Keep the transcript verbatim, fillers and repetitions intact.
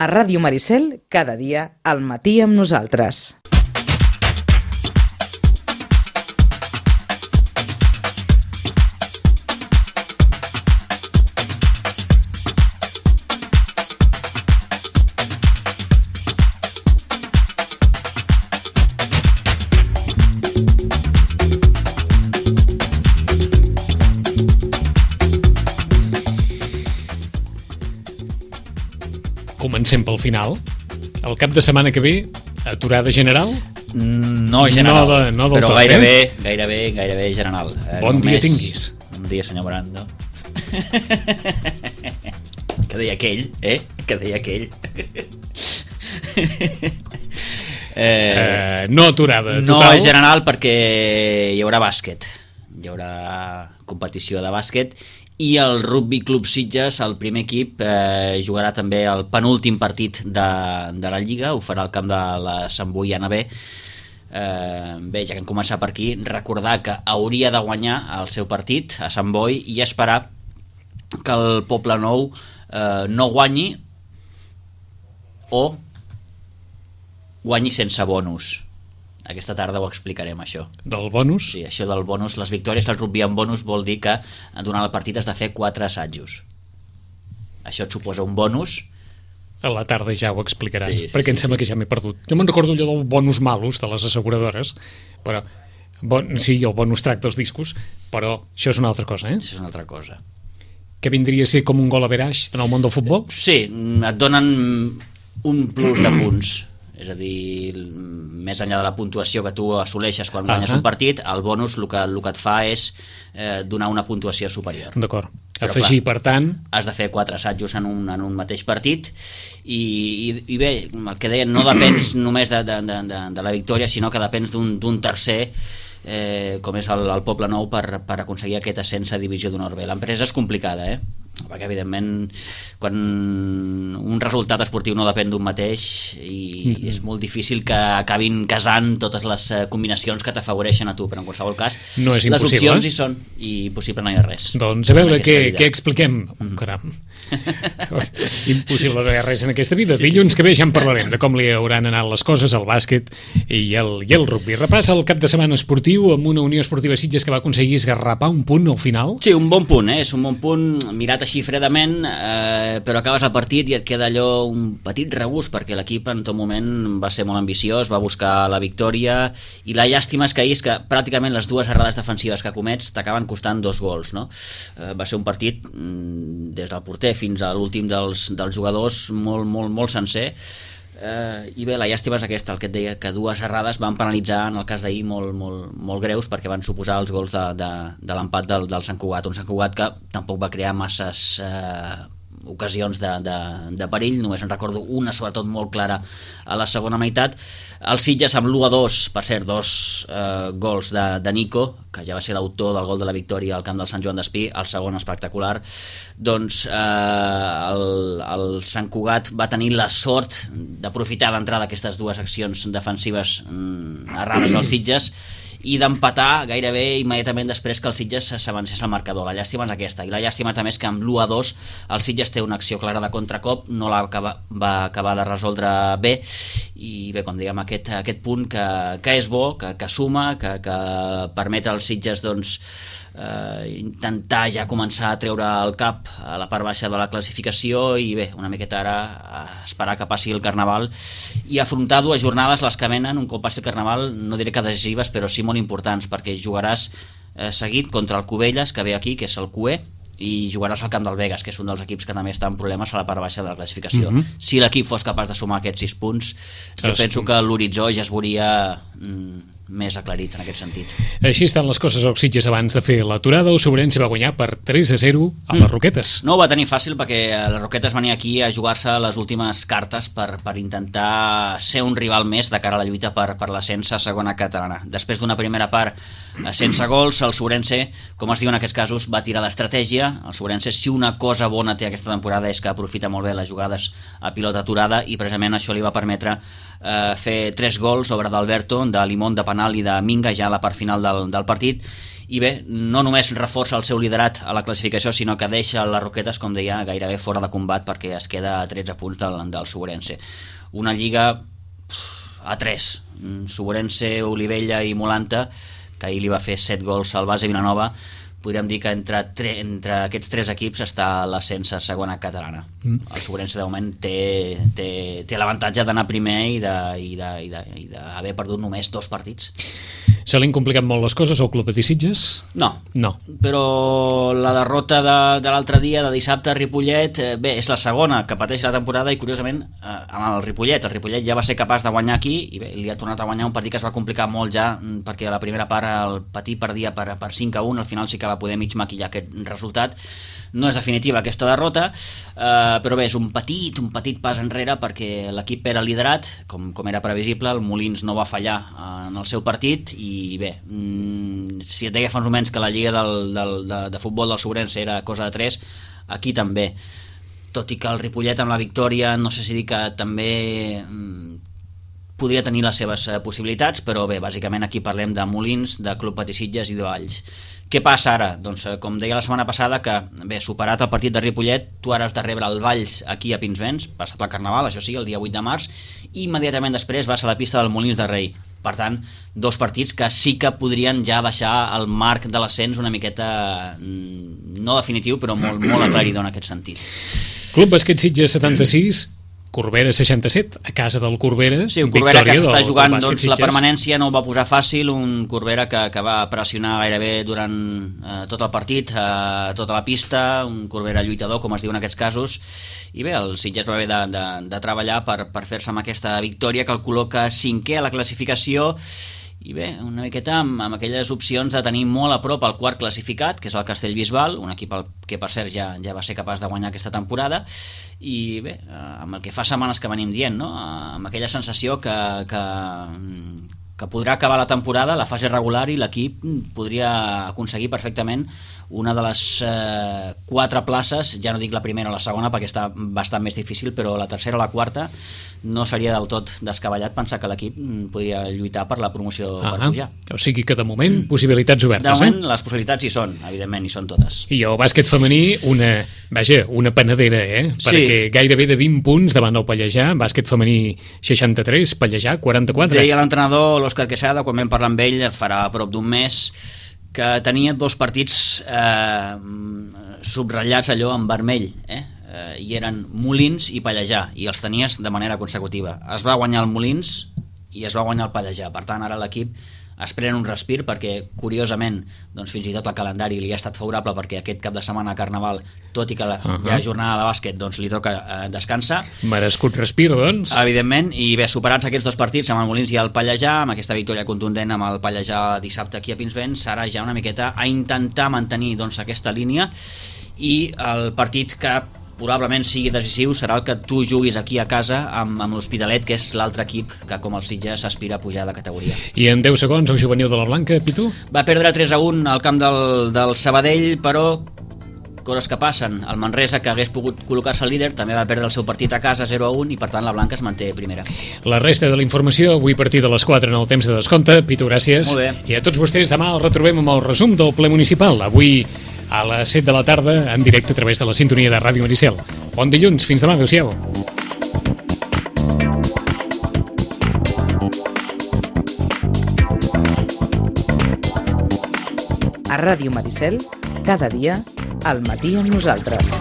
A Ràdio Maricel, cada dia al matí amb nosaltres. Comencem pel final. El cap de setmana que ve, aturada general? No general, no de, no del però tot, gairebé, eh? gairebé, gairebé general. Eh, bon només... dia tinguis. Bon dia, senyor Brando. Que deia aquell, eh? Que deia aquell. eh, uh, no aturada total. No general perquè hi haurà bàsquet. Hi haurà competició de bàsquet. I el Rugby Club Sitges, el primer equip, eh, jugarà també el penúltim partit de, de la Lliga, ho farà al camp de la Sant Boi Ana B. Eh, bé, ja que hem començat per aquí, recordar que hauria de guanyar el seu partit a Sant Boi i esperar que el Poble Nou eh, no guanyi o guanyi sense bonus. Aquesta tarda ho explicarem, això. Del bonus? Sí, això del bonus. Les victòries del rugby en bonus vol dir que durant el partit has de fer quatre assajos. Això et suposa un bonus. A la tarda ja ho explicaràs, sí, sí, perquè sí, em sembla sí. que ja m'he perdut. Jo me'n recordo allò del bonus malus de les asseguradores, però bon, sí, el bonus track dels discos, però això és una altra cosa, eh? Això és una altra cosa. Que vindria a ser com un gol average en el món del futbol? Sí, et donen un plus de punts. És a dir, més enllà de la puntuació que tu assoleixes quan guanyes uh-huh. un partit, el bonus el que, el que et fa és eh, donar una puntuació superior. D'acord. Afegir, per tant... Has de fer quatre assajos en un, en un mateix partit i, i, i bé, el que deien, no depens només de, de, de, de la victòria, sinó que depens d'un tercer, eh, com és el, el Poble Nou, per, per aconseguir aquest ascens a Divisió d'Honor B. L'empresa és complicada, eh? Perquè evidentment quan un resultat esportiu no depèn d'un mateix i és molt difícil que acabin casant totes les combinacions que t'afavoreixen a tu, però en qualsevol cas no és les opcions hi són i impossible no hi ha res. Doncs a veure què, què expliquem. Mm-hmm. Caram. Impossible no hi ha res en aquesta vida. Sí, dilluns que ve ja en parlarem de com li hauran anat les coses al bàsquet i el, i el rugby. Repassa el cap de setmana esportiu amb una Unió Esportiva Sitges que va aconseguir esgarrapar un punt al final. Sí, un bon punt, eh? És un bon punt mirat així fredament, eh, però acabes el partit i et queda allò un petit regust perquè l'equip en tot moment va ser molt ambiciós, va buscar la victòria i la llàstima és que ahir és que pràcticament les dues errades defensives que comets t'acaben costant dos gols, no? Eh, va ser un partit mm, des del porter fins a l'últim dels, dels jugadors molt, molt, molt sencer. Uh, i bé, la llàstima és aquesta, el que et deia, que dues errades van penalitzar en el cas d'ahir molt, molt, molt greus perquè van suposar els gols de, de, de l'empat del, del Sant Cugat, un Sant Cugat que tampoc va crear masses uh, ocasions de, de, de perill, només en recordo una sobretot molt clara a la segona meitat. El Sitges amb l'u a dos, per cert, dos eh, gols de, de Nico, que ja va ser l'autor del gol de la victòria al camp del Sant Joan d'Espí, el segon espectacular. Doncs eh, el, el Sant Cugat va tenir la sort d'aprofitar d'entrada aquestes dues accions defensives mm, errades del Sitges i d'empatar gairebé immediatament després que el Sitges s'avancés al marcador. La llàstima és aquesta, i la llàstima també és que amb l'u a dos el Sitges té una acció clara de contracop, no la acaba, va acabar de resoldre bé, i bé, com diguem, aquest, aquest punt que, que és bo, que, que suma, que, que permet als Sitges doncs, eh, intentar ja començar a treure el cap a la part baixa de la classificació i bé, una miqueta ara esperar que passi el Carnaval i afrontar dues jornades, les que venen un cop passi el Carnaval, no diré que decisives però sí molt importants, perquè jugaràs eh, seguit contra el Cubelles, que ve aquí, que és el Q E, i jugaràs al camp del Vegas, que és un dels equips que també està en problemes a la part baixa de la classificació. Mm-hmm. Si l'equip fos capaç de sumar aquests sis punts, jo es... penso que l'horitzó ja es veuria mm, més aclarit en aquest sentit. Així estan les coses als Sitges abans de fer l'aturada. El Sobrense va guanyar per tres a zero a les Roquetes. No ho va tenir fàcil perquè les Roquetes venia aquí a jugar-se les últimes cartes per, per intentar ser un rival més de cara a la lluita per, per l'ascens a segona catalana. Després d'una primera part sense gols, el Sobrense, com es diu en aquests casos, va tirar d'estratègia. El Sobrense, si una cosa bona té aquesta temporada és que aprofita molt bé les jugades a pilota aturada i precisament això li va permetre eh, fer tres gols sobre d'Alberto, de Limón, de penal i de Minga ja a la part final del, del partit, i bé, no només reforça el seu liderat a la classificació, sinó que deixa les Roquetes, com deia, gairebé fora de combat perquè es queda a tretze punts del, del Suborense. Una lliga a tres, Suborense, Olivella i Molanta, que ahir li va fer set gols al Base Vilanova. Podríem dir que entre, tre, entre aquests tres equips està l'ascens a segona catalana. Mm. El Suborense de moment té, té, té l'avantatge d'anar primer i d'haver perdut només dos partits. Se li han complicat molt les coses al Club Patí Sitges? No, no. Però la derrota de, de l'altre dia, de dissabte a Ripollet, eh, bé, és la segona que pateix la temporada i curiosament eh, amb el Ripollet, el Ripollet ja va ser capaç de guanyar aquí i bé, li ha tornat a guanyar un partit que es va complicar molt ja perquè a la primera part el Patí perdia per, per cinc a un, al final sí que va poder mig maquillar aquest resultat. No és definitiva aquesta derrota, eh, però bé, és un petit, un petit pas enrere perquè l'equip era liderat, com, com era previsible, el Molins no va fallar en el seu partit i bé, mm, si et deia fa uns moments que la lliga del, del, de, de futbol del Suborense era cosa de tres, aquí també, tot i que el Ripollet amb la victòria, no sé si dir que també mm, podria tenir les seves possibilitats, però bé, bàsicament aquí parlem de Molins, de Club Patí Sitges i de Valls. Què passa ara? Doncs com deia la setmana passada que, bé, superat el partit de Ripollet, tu ara has de rebre el Valls aquí a Pinsbens, passat el Carnaval, això sí, el dia vuit de març, i immediatament després vas a la pista del Molins de Rei. Per tant, dos partits que sí que podrien ja deixar el marc de l'ascens una miqueta, no definitiu, però molt, molt aclaridor en aquest sentit. Club Bàsquet Sitges setanta-sis, Corbera seixanta-set, a casa del Corbera. Sí, un Corbera que s'està jugant doncs, la permanència, no ho va posar fàcil, un Corbera que, que va pressionar gairebé durant eh, tot el partit, eh, tota la pista, un Corbera lluitador, com es diu en aquests casos, i bé, el Sitges va haver de, de, de treballar per, per fer-se amb aquesta victòria que el col·loca cinquè a la classificació, i bé, una miqueta amb, amb aquelles opcions de tenir molt a prop el quart classificat, que és el Castellbisbal, un equip que per cert ja, ja va ser capaç de guanyar aquesta temporada, i bé, amb el que fa setmanes que venim dient, no? Amb aquella sensació que, que, que podrà acabar la temporada, la fase regular, i l'equip podria aconseguir perfectament una de les eh, quatre places, ja no dic la primera o la segona perquè està bastant més difícil, però la tercera o la quarta no seria del tot descabellat pensar que l'equip podria lluitar per la promoció ah, per pujar. O sigui que de moment possibilitats obertes. De moment eh? les possibilitats hi són, evidentment, hi són totes. I el bàsquet femení, una, vaja, una panadera, eh? Perquè sí. Gairebé de vint punts davant del Pallejà, bàsquet femení seixanta-tres, Pallejà quaranta-quatre. Deia l'entrenador, l'Òscar Quesada, quan vam parlar amb ell farà prop d'un mes, que tenia dos partits eh, subratllats allò en vermell, eh? Eh, i eren Molins i Pallejà, i els tenies de manera consecutiva. Es va guanyar el Molins i es va guanyar el Pallejà, per tant ara l'equip es pren un respir perquè curiosament doncs fins i tot el calendari li ha estat favorable perquè aquest cap de setmana a Carnaval, tot i que la, uh -huh. hi ha jornada de bàsquet, doncs li toca eh, descansar. Merescut respir, doncs. Evidentment, i bé, superats aquests dos partits amb el Molins i el Pallejà, amb aquesta victòria contundent amb el Pallejà dissabte aquí a Pinsbens, serà ja una miqueta a intentar mantenir doncs aquesta línia, i el partit que probablement sigui decisiu serà el que tu juguis aquí a casa amb, amb l'Hospitalet, que és l'altre equip que com el Sitges aspira a pujar de categoria. I en deu segons el juvenil de la Blanca, Pitu? Va perdre tres a un al camp del, del Sabadell, però coses que passen. El Manresa, que hagués pogut col·locar-se al líder, també va perdre el seu partit a casa zero a un, i per tant la Blanca es manté primera. La resta de la informació avui a partir de les quatre en el temps de descompte. Pitu, gràcies. Molt bé. I a tots vostès demà el retrobem amb el resum del ple municipal, avui a les set de la tarda en directe a través de la sintonia de Ràdio Maricel. Bon dilluns, fins demà, adéu-siau. A Ràdio Maricel, cada dia, al matí amb nosaltres.